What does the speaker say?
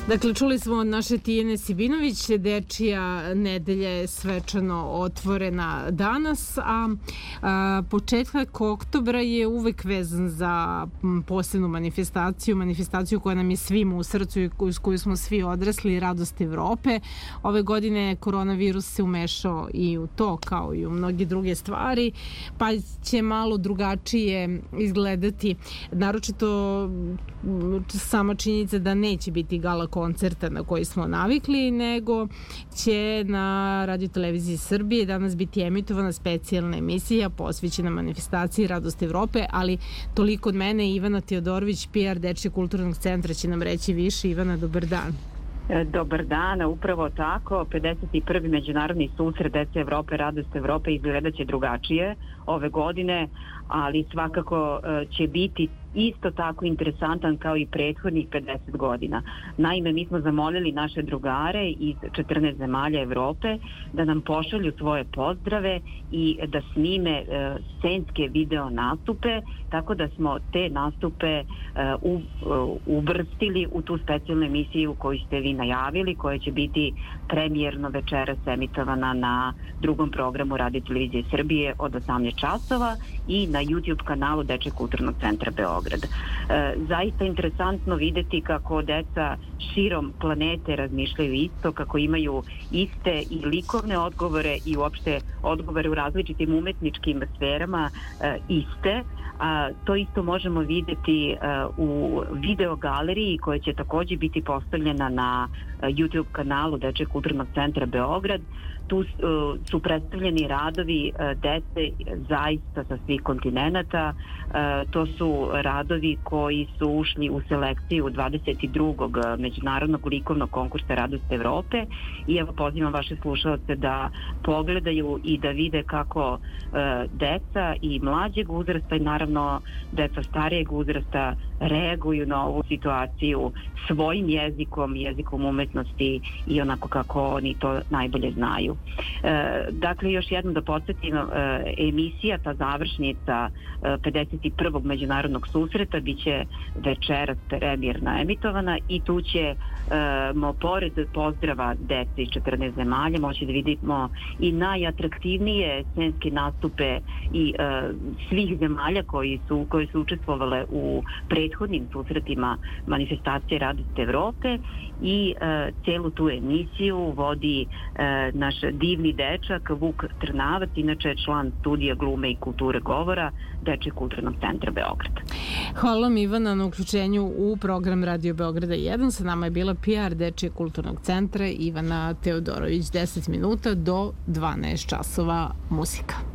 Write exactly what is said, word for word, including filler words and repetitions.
Dakle, čuli smo od naše Tijene Sibinović, Dečija nedelja je svečano otvorena danas, a, a početak oktobra je uvek vezan za posebnu manifestaciju, manifestaciju koja nam je svima u srcu i uz koju smo svi odrasli, Radost Evrope. Ove godine koronavirus se umešao i u to, kao i u mnoge druge stvari, pa će malo drugačije izgledati, naročito sama činjenica da neće biti gala koncerta na koji smo navikli, nego će na Radio-televiziji Srbije danas biti emitovana specijalna emisija posvećena manifestaciji Radost Evrope, ali toliko od mene. Ivana Teodorović, P R Dečijeg kulturnog centra, će nam reći više. Ivana, dobar dan. Dobar dan, upravo tako. pedeset prvi Međunarodni susret Dece Evrope, Radost Evrope izgledat će drugačije ove godine, ali svakako će biti isto tako interesantan kao i prethodnih pedeset godina. Naime, mi smo zamolili naše drugare iz četrnaest zemalja Evrope da nam pošalju svoje pozdrave i da snime e, scenske video nastupe, tako da smo te nastupe e, u, e, uvrstili u tu specijalnu emisiju koju ste vi najavili, koja će biti premijerno večeras emitovana na drugom programu Radio-televizije Srbije od osamnaest časova i na YouTube kanalu Dečijeg kulturnog centra Beograd. E, zaista interesantno videti kako deca širom planete razmišljaju isto, kako imaju iste i likovne odgovore i uopšte odgovore u različitim umetničkim sferama e, iste. A, to isto možemo videti a, u video galeriji koja će takođe biti postavljena na a, YouTube kanalu Dečijeg kulturnog centra Beograd. Tu a, su predstavljeni radovi a, dece zaista sa svih kontinenata. A, to su radovi koji su ušli u selekciju dvadeset drugog Međunarodnog likovnog konkursa Radost Evrope i evo pozivam vaše slušalce da pogledaju i da vide kako a, deca i mlađeg uzrasta i naravno deca starijeg uzrasta reaguju na ovu situaciju svojim jezikom, jezikom umetnosti i onako kako oni to najbolje znaju. E, dakle, još jednom da podsjetim, e, emisija, ta završnica e, pedeset prvog Međunarodnog susreta biće večeras premijerno emitovana i tu će mo, pored pozdrava dece iz četrnaest zemalja moći da vidimo i najatraktivnije scenske nastupe i e, svih zemalja koji su, koje su učestvovale u prethodnim susretima manifestacije Radost Evrope i e, celu tu emisiju vodi e, naš divni dečak Vuk Trnavac, inače član studija glume i kulture govora Dečijeg kulturnog centra Beograd. Hvala vam, Ivana, na uključenju u program Radio Beograda jedan. Sa nama je bila P R Dečijeg kulturnog centra Ivana Teodorović. deset minuta do dvanaest časova muzika.